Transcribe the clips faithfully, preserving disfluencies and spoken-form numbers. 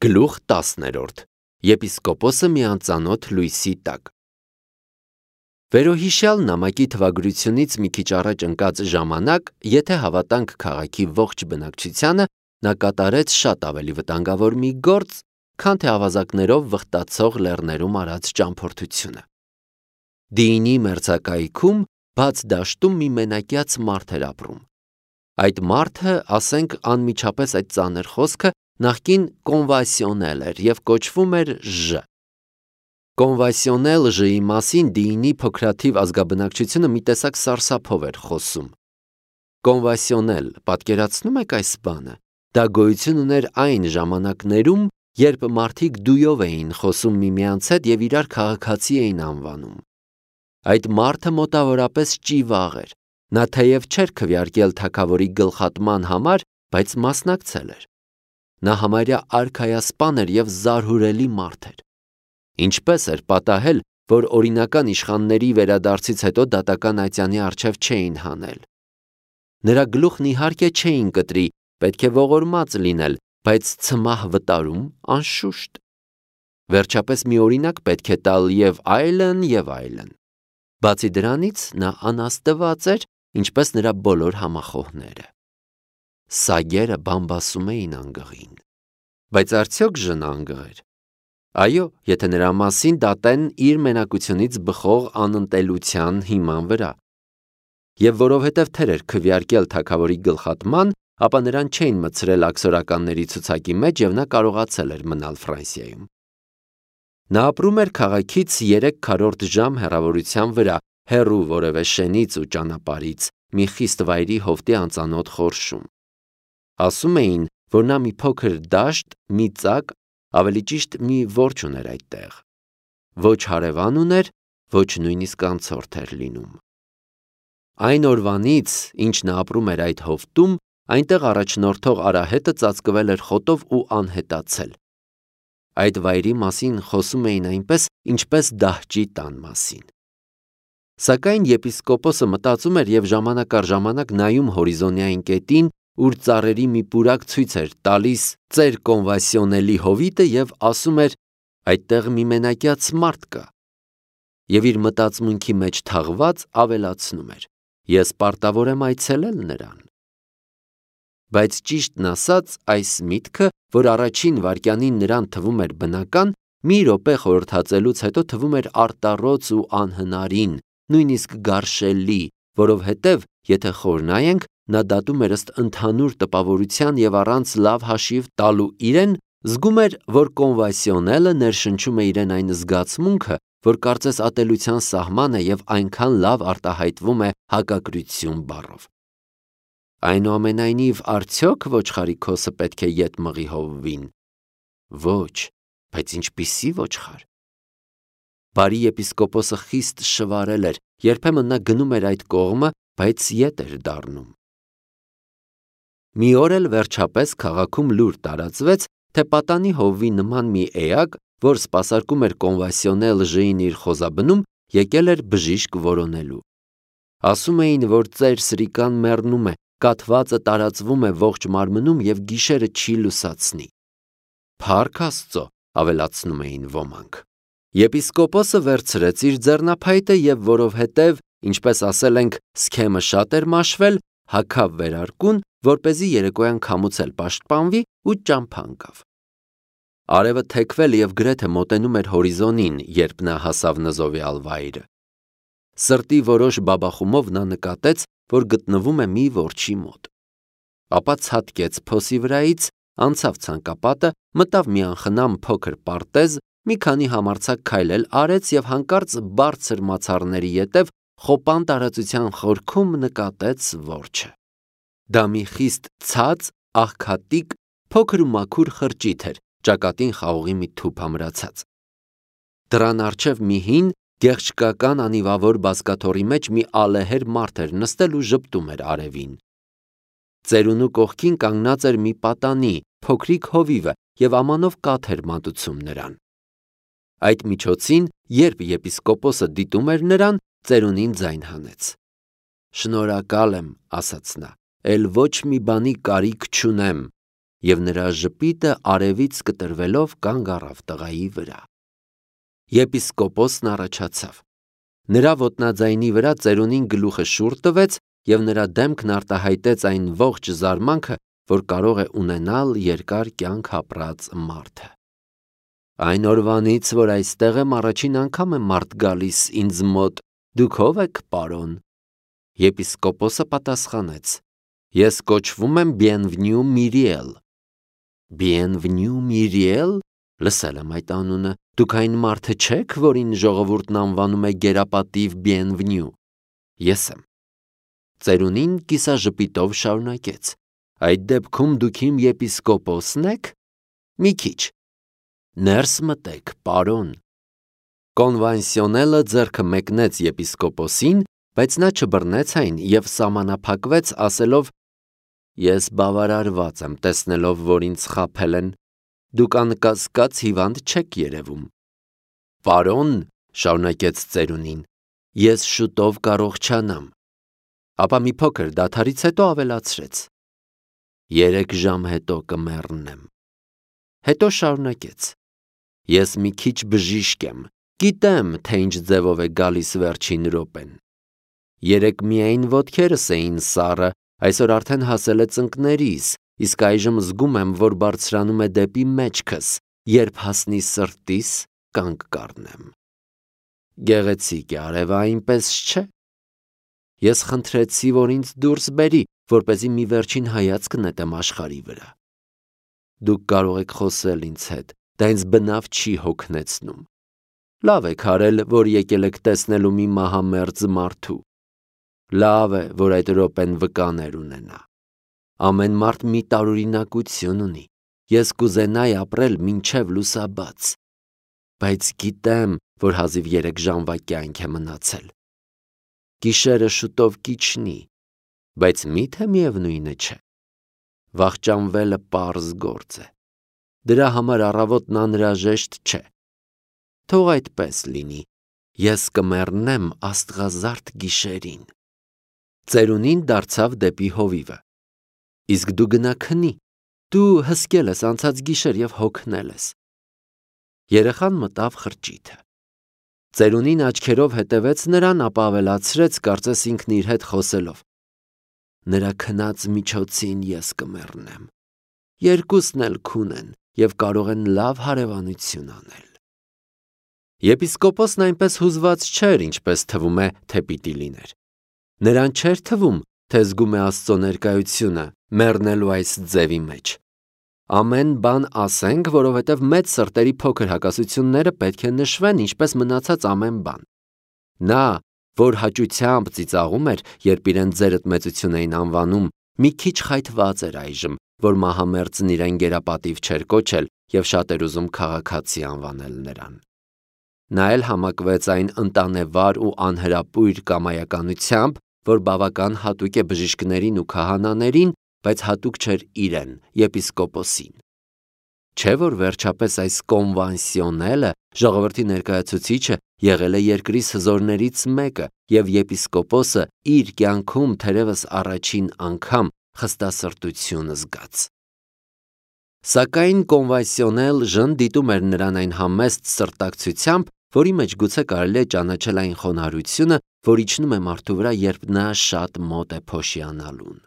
Գլուխ տասներորդ. Եպիսկոպոսը մի անծանոթ լույսի տակ։ Վերոհիշյալ նամակի թվագրությունից մի քիչ առաջ ընկած ժամանակ, եթե հավատանք քաղաքի ողջ բնակչությանը, նա կատարեց շատ ավելի վտանգավոր մի գործ, քան թե ավազակներով վխտացող լեռներում արած ճամփորդությունը։ Դիինի մերձակայքում բաց դաշտում մի մենակյաց մարդ էր ապրում։ Այդ մարդը, ասենք, անմիջապես այդ ծանր խոսքը նախկին կոնվասիոնել էր և կոչվում էր Ժ։ Կոնվասիոնել Ժ-ի մասին դիինի փոքրաթիվ ազգաբնակչությունը մի տեսակ սարսափով էր խոսում։ Կոնվասիոնել, պատկերացնում եք այս բանը, դա գոյություն ուներ այն ժամանակներում, երբ մարդիկ դույով էին խոսում միմյանց հետ և իրար քաղաքացի էին անվանում։ Այդ մարդը մոտավորապես ճիվաղ էր, նա թեև չէր քվեարկել թագավորի գլխատման համար, բայց մասնակցել էր։ Նա համարյա արքայասպան էր և զարհուրելի մարդ էր։ Ինչպես էր պատահել, որ օրինական իշխանների վերադարձից հետո դատական ատյանի առջև չէին հանել։ Նրա գլուխն իհարկե չէին կտրի, պետք է ողորմած լինել, բայց ցմահ վտարում անշուշտ։ Վերջապես մի օրինակ պետք է տալ և այլն, և այլն։ Բացի դրանից նա անաստված էր, ինչպես նրա բոլոր համախոհները։ Սագերը բամբասում էին անգղին։ Բայց արդյոք Ժ-ն անգղ էր։ Այո, եթե նրա մասին դատեն իր մենակությունից բխող անընդելության հիման վրա։ Եվ որովհետև թեր էր քվեարկել թագավորի գլխատման, ապա նրան չէին մտցրել աքսորականների ցուցակի մեջ և նա կարողացել էր մնալ Ֆրանսիայում։ Նա ապրում էր քաղաքից երեք քառորդ ժամ հեռավորության վրա, հեռու որևէ շենից ու ճանապարհից, մի խիստ վայրի հովտի անծանոթ խորշում։ Ասում էին, որ նա մի փոքր դաշտ, մի ծակ, ավելի ճիշտ մի որջը ուներ այդտեղ։ Ոչ հարևան ուներ, ոչ նույնիսկ անցորդ էր լինում։ Այն օրվանից, ինչ նա ապրում էր այդ հովտում, այնտեղ առաջնորդող արահետը ծածկվել էր խոտով ու անհետացել։ Այդ վայրի մասին խոսում էին այնպես, ինչպես դահճի տան մասին։ Սակայն եպիսկոպոսը մտածում էր և ժամանակ առ ժամանակ նայում հորիզոնային կետին, ուր ծառերի մի պուրակ ցույց էր տալիս ծեր կոնվասիոնելի հովիտը և ասում էր. այդտեղ մի մենակյաց մարդ կա։ Եվ իր մտածմունքի մեջ թաղված ավելացնում էր. ես պարտավոր եմ այցելել նրան։ Բայց ճիշտն ասած, այս միտքը, որ առաջին վայրկյանին նրան թվում էր բնական, մի րոպե խորհրդածելուց հետո թվում էր արտառոց ու անհնարին, նույնիսկ գարշելի, որովհետև, եթե խոր նայենք, նա դատում էր ըստ ընդհանուր տպավորության և առանց լավ հաշիվ տալու իրեն, զգում էր, որ կոնվասիոնելը ներշնչում է իրեն այն զգացմունքը, որ կարծես ատելության սահման է և այնքան լավ արտահայտվում է հակակրթություն բառով։ Այնուամենայնիվ, արդյոք ոչխարի քոսը պետք է ետ մղի հովվին։ Ոչ, բայց ինչպիսի ոչխար։ Բարի եպիսկոպոսը խիստ շվարել էր, երբեմն նա գնում էր այդ կողմը, բայց ետ էր դառնում։ Մի օր էլ վերջապես քաղաքում լուր տարածվեց, թե պատանի հովվի նման մի էակ, որ սպասարկում էր կոնվասիոնել Ժ-ին իր խոզաբնում, եկել էր բժիշկ որոնելու։ Ասում էին, որ ծեր Սրիկան մեռնում է, կաթվածը տարածվում է ողջ մարմնում և գիշերը չի լուսացնի։ Փառք Աստծո, ավելացնում էին ոմանք։ Եպիսկոպոսը վերցրեց իր ձեռնափայտը և որովհետև, ինչպես ասել ենք, սքեմը շատ էր մաշվել, հագավ վերարկուն, որպեսզի երեկոյան քամուց էլ պաշտպանվի ու ճամփա ընկավ։ Արևը թեքվել և գրեթե մոտենում էր հորիզոնին, երբ նա հասավ նզովյալ վայրը։ Սրտի որոշ բաբախումով նա նկատեց, որ գտնվում է մի որջի մոտ։ Ապա ցատկեց փոսի վրայից, անցավ ցանկապատը, մտավ մի անխնամ փոքր պարտեզ, մի քանի համարձակ քայլել արեց և հանկարծ բարձր մացառների ետև խոպան տարածության խորքում նկատեց որջը։ Դա մի խիստ ցած, աղքատիկ, փոքր ու մաքուր խրճիթ էր, ճակատին խաղողի մի թուփ ամրացած։ Դռան առջև մի հին, գեղչկական անիվավոր բազկաթոռի մեջ մի ալեհեր մարդ էր նստել ու ժպտում էր արևին։ Ծերունու կողքին կանգնած էր մի պատանի, փոքրիկ հովիվը և ամանով կաթ էր մատուցում նրան։ Այդ միջոցին, երբ եպիսկոպոսը դիտում էր նրան, ծերունին ձայն հանեց։ Շնորհակալ եմ, ասաց նա, էլ ոչ մի բանի կարիք չունեմ։ և նրա ժպիտը արևից կտրվելով կանգ առավ տղայի վրա։ Եպիսկոպոսն առաջացավ։ Նրա ոտնաձայնի վրա ծերունին գլուխը շուռ տվեց և նրա դեմքն արտահայտեց այն ողջ զարմանքը, որ կարող է ունենալ երկար կյանք ապրած մարդը։ Այն օրվանից, որ այստեղ եմ, առաջին անգամ է մարդ գալիս ինձ մոտ, դուք ո՞վ եք, պարոն։ Եպիսկոպոսը պատասխանեց. Ես կոչվում եմ Bienvenu Myriel։ Bienvenu Myriel, լսել եմ այդ անունը, դուք այն մարդը չեք, որին ժողովուրդն անվանում է գերապատիվ Bienvenu։ Ես եմ։ Ծերունին կիսաժպիտով շարունակեց. Այդ դեպքում դուք իմ եպիսկոպոսն եք։ Մի քիչ։ Ներս մտեք, պարոն։ Կոնվանսիոնելը ձեռքը մեկնեց եպիսկոպոսին, բայց նա չբռնեց այն և սահմանափակվեց, ասելով. Ես բավարարված եմ տեսնելով, որ ինձ խաբել են։ Դուք անկասկած հիվանդ չեք երևում։ Պարոն, շարունակեց ծերունին, ես շուտով կառողջանամ։ Ապա մի փոքր դադարից հետո ավելացրեց. Երեք ժամ հետո կմեռնեմ։ Հետո շարունակեց. Ես մի քիչ բժիշկ եմ, գիտեմ, թե ինչ ձևով է գալիս վերջին րոպեն։ Երեկ միայն ոտքերս էին սառը, այսօր արդեն հասել է ծնկներիս, իսկ այժմ զգում եմ, որ բարձրանում է դեպի մեջքս, երբ հասնի սրտիս, կանգ կառնեմ։ Գեղեցիկ է արևը, այնպես չէ։ Ես խնդրեցի, որ ինձ դուրս բերի, որպեսզի մի վերջին հայացք նետեմ աշխարհի վրա։ Դուք կարող եք խոսել ինձ հետ, դա ինձ բնավ չի հոգնեցնում։ Լավ եք արել, որ եկել եք տեսնելու մի մահամերձ մարդու։ Լավ է, որ այդ րոպեն վկաներ ունենա։ Ամեն մարդ մի տարօրինակություն ունի։ Ես կուզենայի ապրել մինչև լուսաբաց։ Բայց գիտեմ, որ հազիվ երեք ժամվա կյանք է մնացել։ Գիշերը շուտով կիջնի, բայց մի՞թե միևնույնը չէ։ Վախճանվելը պարզ գործ է։ Դրա համար առավոտն անհրաժեշտ չէ։ Թող այդպես լինի։ Ես կմեռնեմ աստղազարդ գիշերին։ Ծերունին դարձավ դեպի հովիվը։ Իսկ դու գնա քնի։ Դու հսկել ես անցած գիշեր և հոգնել ես։ Երեխան մտավ խրճիթը։ Ծերունին աչքերով հետևեց նրան, ապա ավելացրեց, կարծես ինքն իր հետ խոսելով. Նրա քնած միջոցին ես կմեռնեմ։ Երկուսն էլ քուն են և կարող են լավ հարևանություն անել։ Եպիսկոպոսն այնպես հուզված չէր, ինչպես թվում է, թե պիտի լիներ։ Նրան չէր թվում, թե զգում է Աստծո ներկայությունը մեռնելու այս ձևի մեջ։ Ամեն բան ասենք, որովհետև մեծ սրտերի փոքր հակասությունները պետք է նշվեն, ինչպես մնացած ամեն բան։ Նա, որ հաճությամբ ծիծաղում էր, երբ իրեն ձերդ մեծություն էին անվանում, մի քիչ խայթված էր այժմ, որ մահամերձն իրեն գերապատիվ չէր կոչել և շատ էր ուզում քաղաքացի անվանել նրան։ Նա էլ համակվեց այն ընտանեվար ու անհրապույր կամայականությամբ, որ բավական հատուկ է բժիշկներին ու քահանաներին, բայց հատուկ չէր իրեն, եպիսկոպոսին։ Չէ՞ որ վերջապես այս կոնվանսիոնելը, ժողովրդի ներկայացուցիչը, եղել է երկրի հզորներից մեկը, և եպիսկոպոսը իր կյանքում թերևս առաջին անգամ խստասրտություն զգաց։ Սակայն կոնվանսիոնել Ժն դիտում էր նրան այն համեստ սրտակցությամբ, որի մեջ գուցե կարելի է ճանաչել այն խոնարհությունը, որ իջնում է մարդու վրա, երբ նա շատ մոտ է փոշիանալուն։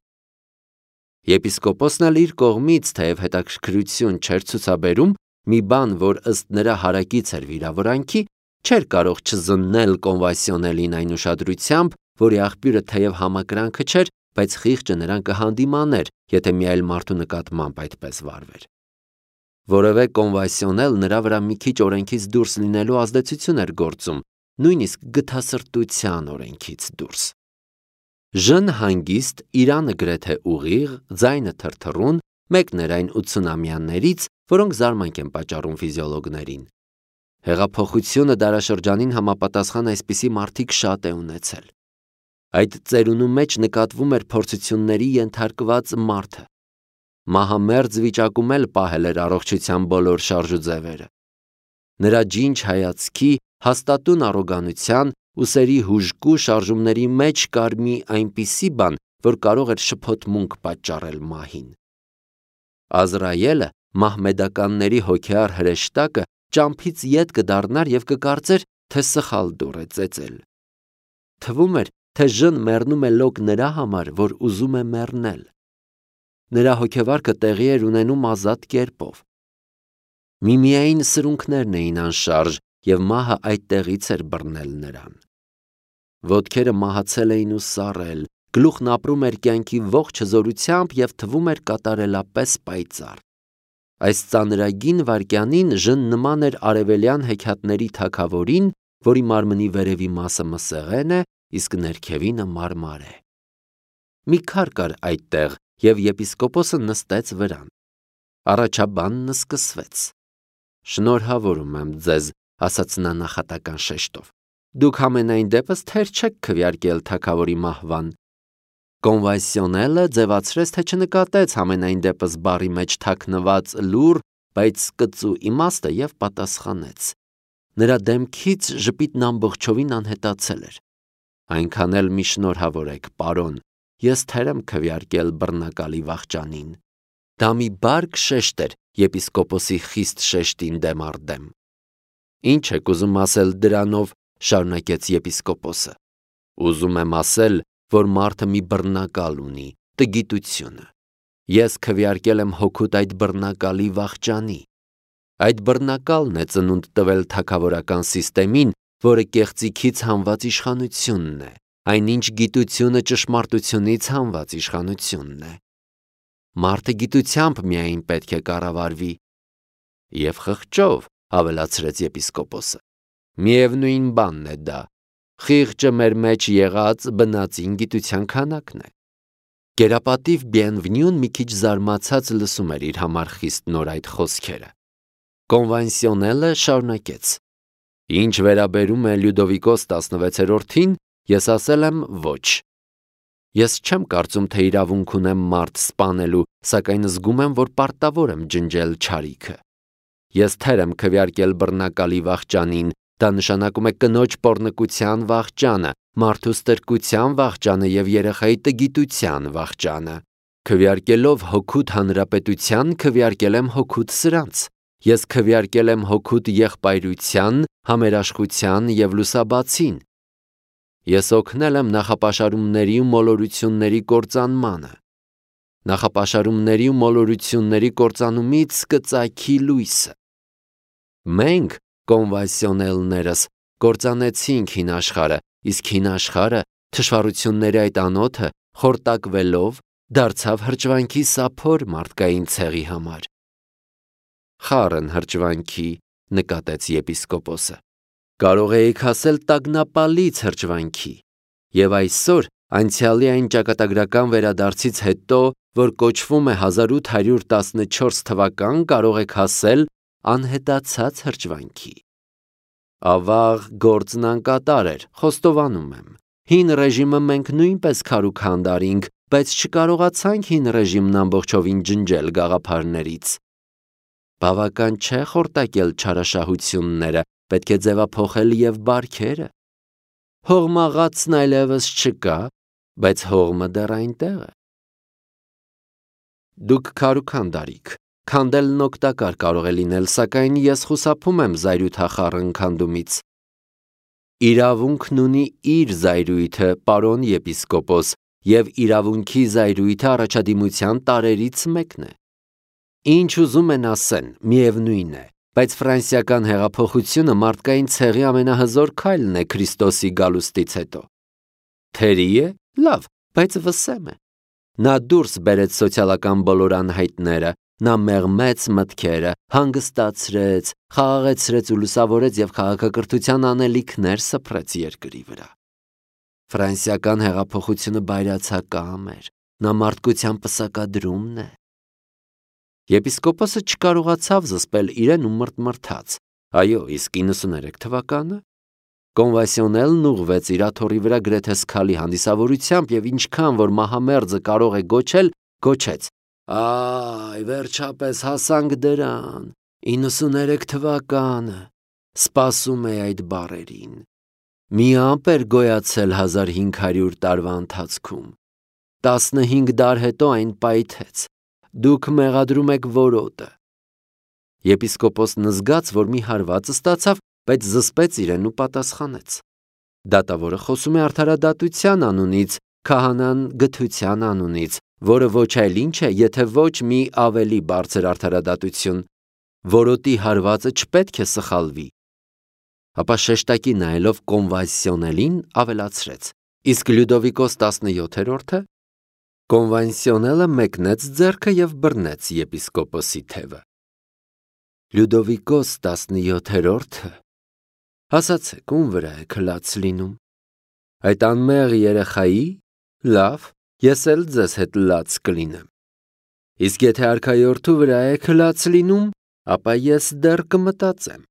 Եպիսկոպոսն էլ իր կողմից, թեև հետաքրքրություն չէր ցուցաբերում, մի բան, որ ըստ նրա հարակից էր վիրավորանքի, չէր կարող չզննել կոնվանսիոնելին այն ուշադրությամբ, որի աղբյուրը թեև համակրանքը չէր, բայց խիղճը նրան կհանդիմաներ, եթե մի այլ մարդու նկատմամբ այդպես վարվեր։ Որևէ կոնվանսիոնել նրա վրա մի քիչ օրենքից դուրս լինելու ազդեցություն էր գործում, նույնիսկ գթասրտության օրենքից դուրս։ Ժն հանգիստ, իրանը գրեթե ուղիղ, ձայնը թրթռուն, մեկն էր այն ութսունամյաներից, որոնք զարմանք են պատճառում ֆիզիոլոգներին։ Հեղափոխությունը դարաշրջանին համապատասխան այսպիսի մարդիկ շատ է ունեցել։ Այդ ծերունու մեջ նկատվում էր փորձությունների ենթարկված մարդը։ Մահամերձ վիճակում էլ պահել էր առողջության բոլոր շարժուձևերը։ Նրա ջինջ հայացքի, հաստատուն առոգանության, ուսերի հուժկու շարժումների մեջ կար մի այնպիսի բան, որ կարող էր շփոթմունք պատճառել մահին։ Ազրայելը, մահմեդականների հոգեար հրեշտակը, ճամփից ետ կդառնար եւ կկարծեր, թե սխալ դուռ է ծեծել։ Թվում էր, թե ժն մեռնում է լոկ նրա համար, որ ուզում է մեռնել։ Նրա հոգեվարքը տեղի էր ունենում ազատ կերպով։ Միմիային սրունքներն էին անշարժ եւ մահը այդտեղից էր բռնել նրան։ Ոտքերը մահացել էին ու սառել, գլուխն ապրում էր կյանքի ողջ հզորությամբ եւ թվում էր կատարելապես պայծառ։ Այս ծանրագին վայրկյանին ժն նման էր արևելյան հեքիաթների թագավորին, որի մարմնի վերևի մասը մսեղեն է, իսկ ներքևինը մարմար է։ Մի քար կար այդտեղ, եւ եպիսկոպոսը նստեց վրան։ Առաջաբանն սկսվեց։ Շնորհավորում եմ ձեզ, ասաց նա նախատական շեշտով։ Դուք ամենայն դեպս թեր չեք քվեարկել թագավորի մահվան։ Կոնվենսիոնելը ձևացրեց, թե չնկատեց ամենայն դեպս բառի մեջ թաքնված լուր, բայց կծու իմաստը եւ պատասխանեց։ Նրա դեմքից ժպիտն ամբողջովին անհետացել էր։ Այնքան էլ մի շնորհավորեք, պարոն, ես թեր եմ քվեարկել բռնակալի վախճանին։ Դա մի բարկ շեշտ էր եպիսկոպոսի խիստ շեշտին դեմ առ դեմ։ Ինչ եք ուզում ասել դրանով, շարունակեց եպիսկոպոսը։ Ուզում եմ ասել, որ մարդը մի բռնակալ ունի, տգիտությունը։ Ես քվեարկել եմ հոգուտ այդ բռնակալի վախճանի։ Այդ բռնակալն է ծնունդ տվել թագավորական սիստեմին, որը կեղծիքից հանված իշխանությունն է, այնինչ գիտությունը ճշմարտությունից հանված իշխանությունն է։ Մարդը գիտությամբ միայն պետք է կառավարվի։ Եվ խղճով, ավելացրեց եպիսկոպոսը։ Միևնույն բանն է դա։ Խիղճը մեր մեջ եղած բնածին գիտության քանակն է։ Գերապատիվ Բիենվնյուն մի քիչ զարմացած լսում էր իր համար խիստ նոր այդ խոսքերը։ Կոնվենսիոնելը շարունակեց. Ինչ վերաբերում է Լյուդովիկոս տասնվեցերորդին, ես ասել եմ ոչ։ Ես չեմ կարծում, թե իրավունք ունեմ մարդ սպանելու, սակայն զգում եմ, որ պարտավոր եմ ջնջել չարիքը։ Ես թեր եմ քվեարկել բռնակալի վախճանին, դա նշանակում է կնոջ պոռնկության վախճանը, մարդու ստրկության վախճանը եւ երեխայի տգիտության վախճանը։ Քվեարկելով հոգուտ հանրապետության, քվեարկել եմ հոգուտ սրանց։ Ես քվեարկել եմ հոգուտ եղբայրության, համերաշխության եւ լուսաբացին։ Ես օգնել եմ նախապաշարումների ու մոլորությունների կործանմանը։ Նախապաշարումների ու մոլորությունների կործանումից կծագի լույսը։ Մենք, կոնվենսիոնելներս, կործանեցինք հին աշխարհը, իսկ հին աշխարհը, թշվառությունների այդ անոթը, խորտակվելով, դարձավ հրճվանքի սափոր մարդկային ցեղի համար։ Խառն հրճվանքի, նկատեց եպիսկոպոսը։ Կարող էիք ասել տագնապալից հրճվանքի։ Եվ այսօր, անցյալի այն ճակատագրական վերադարձից հետո, որ կոչվում է հազար ութ հարյուր տասնչորս թվական, կարող եք ասել անհետացած հրճվանքի։ Ավաղ գործն անկատար էր, խոստովանում եմ։ Հին ռեժիմը մենք նույնպես քարուք հանդարինք, բայց չկարողացանք հին ռեժիմն ամբողջովին ջնջել գաղափարներից։ Բավական չէ խորտակել չարաշահությունները, պետք է ձևափոխել եւ բարքերը։ Հողմաղացն այլևս չկա, բայց հողմը դեռ այնտեղ է։ Դուք քարուք հանդարիք։ Քանդելն օգտակար կարող է լինել, սակայն ես խուսափում եմ զայրույթախառն քանդումից։ Իրավունքն ունի իր զայրույթը, պարոն եպիսկոպոս, եւ իրավունքի զայրույթը առաջադիմության տարերից մեկն է։ Ինչ ուզում են ասեն, միևնույն է, բայց ֆրանսիական հեղափոխությունը մարդկային ցեղի ամենահզոր քայլն է Քրիստոսի գալուստից հետո։ Թերի է, լավ, բայց վսեմ է։ Նա դուրս բերեց սոցիալական բոլոր անհայտները, նա մեղմեց մտքերը, հանգստացրեց, խաղաղեցրեց ու լուսավորեց եւ քաղաքակրթության անելիքներ սփռեց երկրի վրա։ Ֆրանսիական հեղափոխությունը բայրացակամ էր, նա մարդկության պսակադրումն է։ Եպիսկոպոսը չկարողացավ զսպել իրեն ու մրթմրթաց։ Այո, իսկ իննսուներեք թվականը։ Կոնվենսիոնելն ուղղվեց իր աթոռի վրա գրեթե սքալի հանդիսավորությամբ եւ ինչքան որ մահամերձը կարող է գոչել, գոչեց. Այ, վերջապես հասանք դրան, իննսուներեք թվականը, սպասում է այդ բառերին։ Մի ամպ էր գոյացել հազար հինգ հարյուր տարվա ընթացքում։ Տասնհինգ դար հետո այն պայթեց։ դուք մեղադրում եք որոտը։ Եպիսկոպոսն զգաց, որ մի հարված ստացավ, բայց զսպեց իրեն ու պատասխանեց. Դատավորը խոսում է արդարադատության անունից, քահանան գթության անունից, որը ոչ այլ ինչ է, եթե ոչ մի ավելի բարձր արդարադատություն, որոտի հարվածը չպետք է սխալվի։ Ապա շեշտակի նայելով կոնվանսիոնելին ավելացրեց. իսկ Լյուդովիկոս տասնյոթերորդը կոնվանսիոնելը մեկնեց ձեռքը և բռնեց եպիսկոպոսի թևը։ Լյուդովիկոս տասնյոթերորդը, ասացեք, ում վրա է քլաց լինում։ Այդ անմեղ երեխայի, լավ, ես էլ ձեզ հետ լաց կլինեմ։ Իսկ եթե արքայորդու վրա է քլաց լինում, ապա ես դեռ կմտածեմ։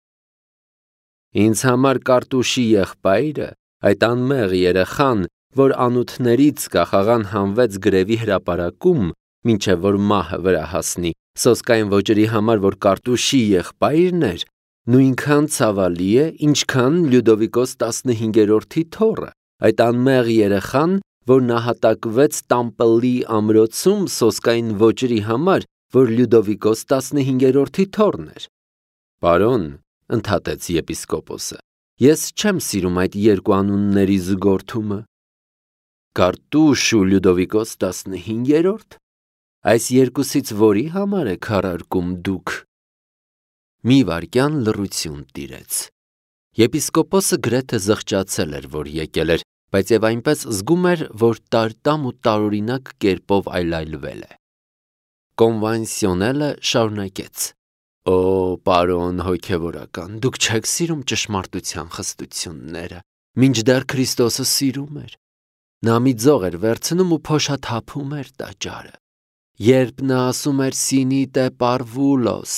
Ինձ համար Կարտուշի եղբայրը, այդ անմեղ երեխան, որ անոթներից կախաղան հանվեց գրևի հրապարակում, մինչև որ մահը վրա հասնի, սոսկային ոճերի համար, որ Կարտուշի եղբայրն էր, նույնքան ցավալի է, ինչքան Լյուդովիկոս տասնհինգերորդի թոռը, այդ անմեղ երեխան, որ նահատակվեց Տամպլի ամրոցում սոսկային ոճերի համար, որ Լյուդովիկոս տասնհինգերորդի թոռն էր։ Պարոն, ընդհատեց եպիսկոպոսը, ես չեմ սիրում այդ երկու անունների զուգորդումը։ Կարտուշ ու Լյուդովիկոս տասնհինգերորդ, այս երկուսից որի համար եք քարարկում դուք։ Մի վայրկյան լռություն տիրեց։ Եպիսկոպոսը գրեթե զղջացել էր, որ եկել էր, բայց եւ այնպես զգում էր, որ տարտամ ու տարօրինակ կերպով այլայլվել է։ Կոնվանսիոնելը շարունակեց. Օ, պարոն հոգևորական, դուք չեք սիրում ճշմարտության խստությունները, մինչդեռ Քրիստոսը սիրում էր։ Նա մի ձող էր վերցնում ու փոշաթափում էր տաճարը։ Երբ նա ասում էր «Սինիտե պարվուլոս»,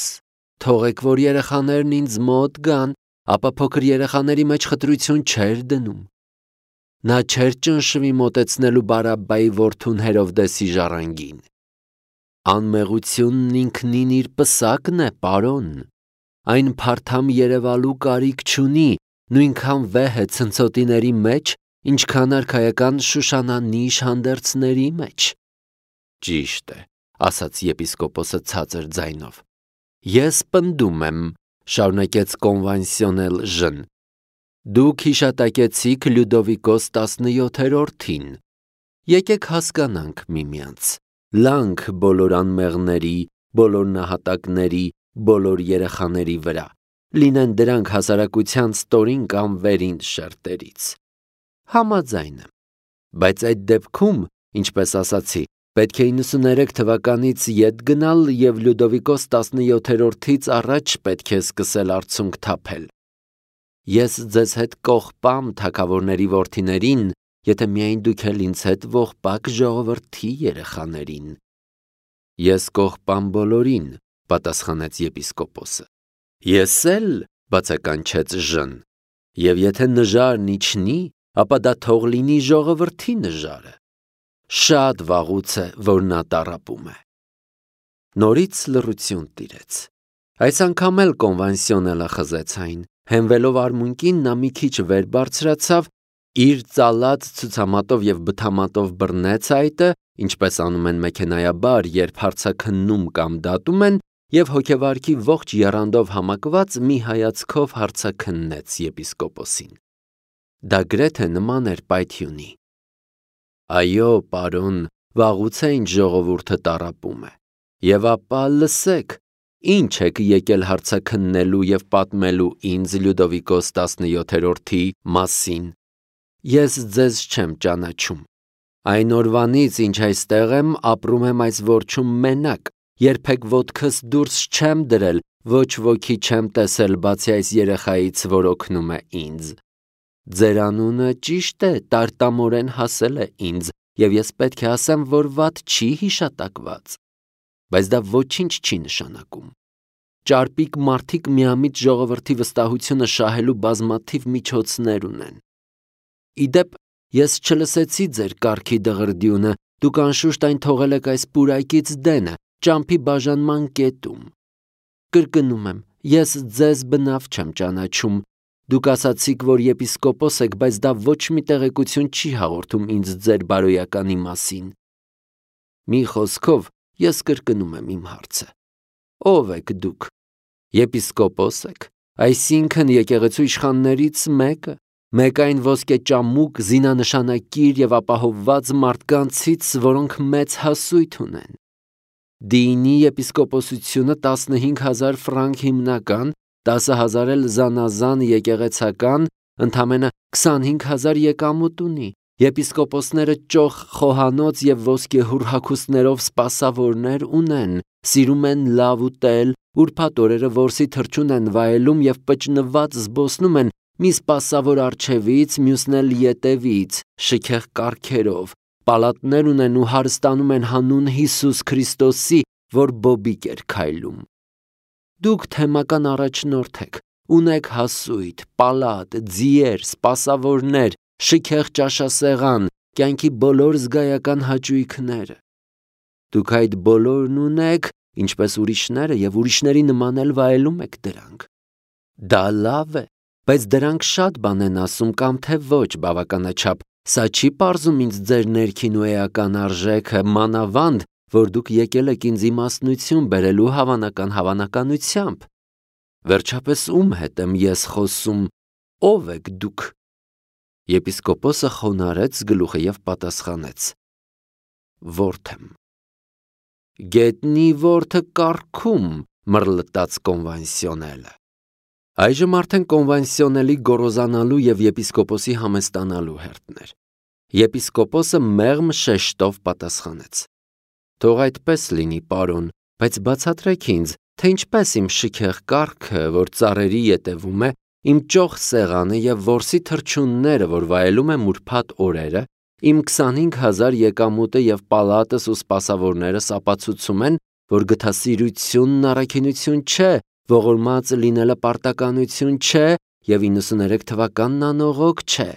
թողեք, որ երեխաներն ինձ մոտ գան, ապա փոքր երեխաների մեջ խտրություն չէր դնում։ Նա չէր ճնշվի մոտեցնելու Բարաբբայի որդուն Հերովդեսի ժառանգին։ Անմեղությունն ինքնին իր պսակն է, պարոն։ Այն փարթամ երևալու կարիք չունի, նույնքան վեհ է ցնցոտիների մեջ, ինչքան արքայական Շուշանանիշ հանդերձների մեջ։ Ճիշտ է, ասաց եպիսկոպոսը ցածր ձայնով։ Ես պնդում եմ, շարունակեց կոնվանսիոնել Ժն, դուք հիշատակեցիք Լյուդովիկոս տասնյոթերորդին։ Եկեք հասկանանք միմյանց, լանք բոլոր անմեղների, բոլոր նահատակների, բոլոր երեխաների վրա, լինեն դրանք հասարակության ստորին կամ վերին շերտերից։ Համաձայն եմ, բայց այդ դեպքում, ինչպես ասացի, պետք է իննսուներեք թվականից ետ գնալ և Լյուդովիկոս տասնյոթերորդից առաջ պետք է սկսել արցունք թափել։ Ես ձեզ հետ կողպամ թագավորների որդիներին, եթե միայն դուք էլ ինձ հետ ողբակ ժողովրդի երեխաներին։ Ես կողպամ բոլորին, պատասխանեց եպիսկոպոսը։ Ես էլ, բացականչեց Ժն, և եթե նժարն իջնի, ապա դա թող լինի ժողովրդի նժարը։ Շատ վաղուց է, որ նա տառապում է։ Նորից լռություն տիրեց։ Այս անգամ էլ կոնվանսիոնելը խզեց այն, հենվելով արմունկին նա մի քիչ վեր բարձրացավ, իր ծալած ցուցամատով և բթամատով բռնեց այտը, ինչպես անում են մեքենայաբար, երբ հարցաքննում կամ դատում են, և հոգեվարքի ողջ եռանդով համակված մի հայացքով հարցաքննեց եպիսկոպոսին։ Դա գրեթե նման էր պայթյունի։ Այո, պարոն, վաղուց է ինչ ժողովուրդը տառապում է։ Եվ ապա լսեք, ինչ եք եկել հարցաքննելու և պատմելու ինձ Լյուդովիկոս տասնյոթերորդի մասին։ Ես ձեզ չեմ ճանաչում։ Այն օրվանից, ինչ այստեղ եմ, ապրում եմ այս որջում մենակ, երբեք ոտքս դուրս չեմ դրել, ոչ ոքի չեմ տեսել, բացի այս երեխայից, որ օգնում է ինձ։ Ձեր անունը ճիշտ է, տարտամորեն հասել է ինձ, և ես պետք է ասեմ, որ վատ չի հիշատակված։ Բայց դա ոչինչ չի նշանակում։ Ճարպիկ մարդիկ միամիտ ժողովրդի վստահությունը շահելու բազմաթիվ միջոցներ ունեն։ Իդեպ, ես չլսեցի ձեր կառքի դղրդյունը, դուք անշուշտ այն թողել եք այս պուրակից դենը, ճամփի բաժանման կետում։ Կրկնում եմ, ես ձեզ բնավ չեմ ճանաչում։ Դուք ասացիք, որ եպիսկոպոս եք, բայց դա ոչ մի տեղեկություն չի հաղորդում ինձ ձեր բարոյականի մասին։ Մի խոսքով, ես կրկնում եմ իմ հարցը. ո՞վ եք դուք։ Եպիսկոպոս եք, այսինքն եկեղեցու իշխաններից մեկը, մեկ այն ոսկեճամուկ, զինանշանակիր եւ ապահովված մարդկանցից, որոնք մեծ հասույթ ունեն։ Դինի եպիսկոպոսությունը տասնհինգ հազար ֆրանկ հիմնական, տասը հազար էլ զանազան եկեղեցական, ընդամենը քսանհինգ հազար եկամուտ ունի։ Եպիսկոպոսները ճոխ խոհանոց եւ ոսկեհուռ հագուստներով սպասավորներ ունեն, սիրում են լավ ուտել, ուրբաթ օրերը որսի թռչուն են վայելում եւ պճնված զբոսնում են մի սպասավոր առջևից, մյուսն էլ ետևից, շքեղ կառքերով, պալատներ ունեն ու հարստանում են հանուն Հիսուս Քրիստոսի, որ բոբիկ էր քայլում։ Դուք թեմական առաջնորդ եք, ունեք հասույթ, պալատ, ձիեր, սպասավորներ, շքեղ ճաշասեղան, կյանքի բոլոր զգայական հաճույքները։ Դուք այդ բոլորն ունեք, ինչպես ուրիշները, եւ ուրիշների նման էլ վայելում եք դրանք։ Դա լավ է, բայց դրանք շատ բան են ասում կամ թե ոչ բավականաչափ, սա չի պարզում ինձ ձեր ներքին ու էական արժեքը, մանավանդ, որ դուք եկել եք ինձ իմաստնություն բերելու հավանական հավանականությամբ։ Վերջապես ում հետ եմ ես խոսում, ո՞վ եք դուք։ Եպիսկոպոսը խոնարհեց գլուխը եւ պատասխանեց. Ворդ եմ։ Գետնի որդը կառքում, մռլտաց կոնվենսիոնելը։ Այժմ արդեն կոնվենսիոնելի գոռոզանալու եւ եպիսկոպոսի համեստանալու հերթն էր։ Եպիսկոպոսը մեղմ շեշտով պատասխանեց. Թող այդպես լինի, պարոն, բայց բացատրեք ինձ, թե ինչպես իմ շքեղ կառքը, որ ծառերի ետևում է, իմ ճոխ սեղանը եւ որսի թռչունները, որ վայելում եմ ուրբաթ օրերը, իմ քսանհինգ հազար եկամուտը եւ պալատս ու սպասավորներս ապացուցում են, որ գթասիրությունն առաքինություն չէ, ողորմած լինելը պարտականություն չէ եւ իննսուններեք թվականն անողոք չէ։